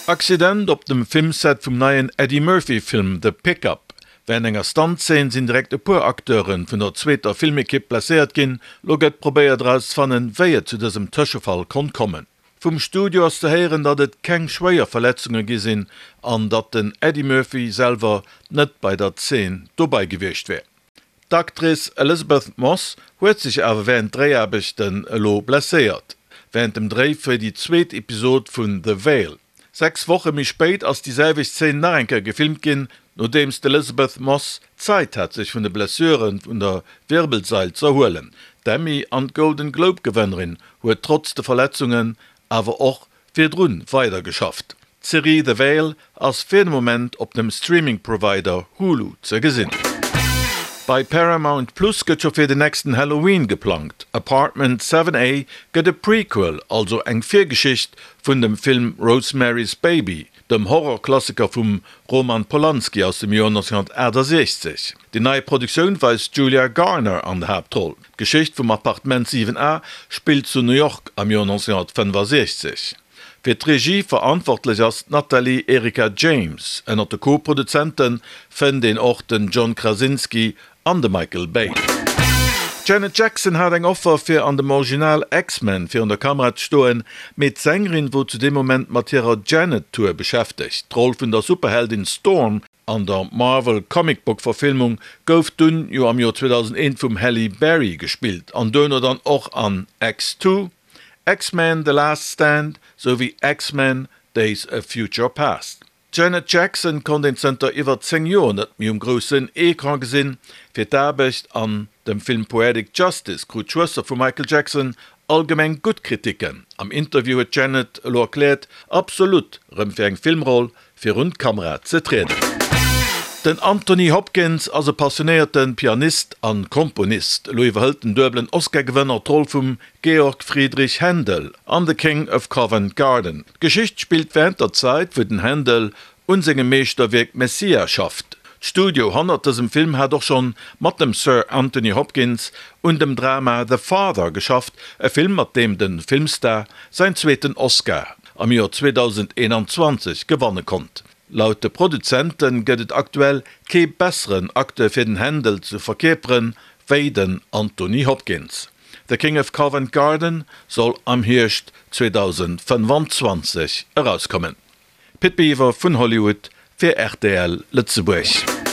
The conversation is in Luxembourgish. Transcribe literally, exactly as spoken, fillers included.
Accident op dem Filmset vum neien Eddie Murphy Film The Pickup. Wärend enger Stunt-Zeen sinn direkt e puer Acteure vun der zweeter Filmekipp blesséiert ginn. Lo gëtt probéiert erauszefannen, wéi et zu dësem Tëschefall konnt kommen. Vum Studio ass ze héieren, datt et keng schwéier Verletzunge gi sinn an datt den Eddie Murphy selwer net bei der Zeen dobäi gewiescht wär. D'Actrice Elisabeth Moss huet sech awer wärend Dréiaarbechten elo blesséiert, wärend dem Dréi fir déi zweet Episod vun The Whale. Sechs Woche méi spéit ass déi selwecht Zeen nach eng Kéier gefilmt ginn, nodeems d'Elisabeth Moss Zäit hat sech vun de Blessure vun der Wirbelsail z'erhuelen. D'Emmy an d'Golden Globe Gewënnerin huet trotz de Verletzungen awer och virdrun weider geschafft. D'Serie The Whale ass fir de Moment op dem Streaming Provider Hulu ze gesinn. Bei Paramount Plus gëtt scho fir den nächsten Halloween geplangt. Apartment seven A gëtt e Prequel, also eng Virgeschicht vun dem Film Rosemary's Baby, dem Horrorklassiker vum Roman Polanski aus dem Joer nonzénghunnertaachtasechzeg. Déi nei Produktioun weist d'Julia Garner an der Haaptroll. D'Geschicht vum Appartement siwen A spillt zu New York am Joer nonzénghunnertfënnefasechzeg. Fir d'Regie verantwortlech ass d'Natalie Erika James. Ënnert de Co-Produzente fënnt een och den John Krasinski an de Michael Bay. D'Janet Jackson hat eng Offer fir an dem Original X-Men virun der Kamera ze stoen, mee d'Sängerin wor zu deem Moment mat hirer Janet-Tour beschäftegt. D'Roll vun der Superheldin Storm an der Marvel Comic Book Verfilmung gouf dunn jo am Joer zweedausendeent vum Halle Berry gespillt an duerno dann och an X Two, X-Men, The Last Stand souwéi X-Men, Days of Future Past. D'Janet Jackson konnt een zënter iwwer zéng Joer net méi um groussen Ecran gesinn. Fir d'Aarbecht an dem Film Poetic Justice krut d'Schwëster vum Michael Jackson allgemeng gutt Kriticken. Am Interview huet d'Janet elo erkläert, absolut rëm fir eng Filmroll virun d'Kamera ze trieden. Den Anthony Hopkins ass e passionéierte Pianist a Komponist. Elo iwwerhëlt den duebelen Oscar-Gewënner d'Roll vum Georg Friedrich Händel an The King of Covent Garden. D'Geschicht spillt wärend der Zäit, wou den Händel un sengem Meeschterwierk Messiah schafft. D'Studio hannert dësem Film hat och schonn mat dem Sir Anthony Hopkins un dem Drama The Father geschafft, e Film mat deem de Filmstar säin zweeten Oscar am Joer zweedausendeenanzwanzeg gewanne konnt. Laut de Produzente gëtt et aktuell kee besseren Acteur fir den Händel ze verkierperen, wéi den Anthony Hopkins. The King of Covent Garden soll am Hierscht zweedausendfënnfanzwanzeg erauskommen. Pit Biwer vun Hollywood fir rtl Lëtzebuerg.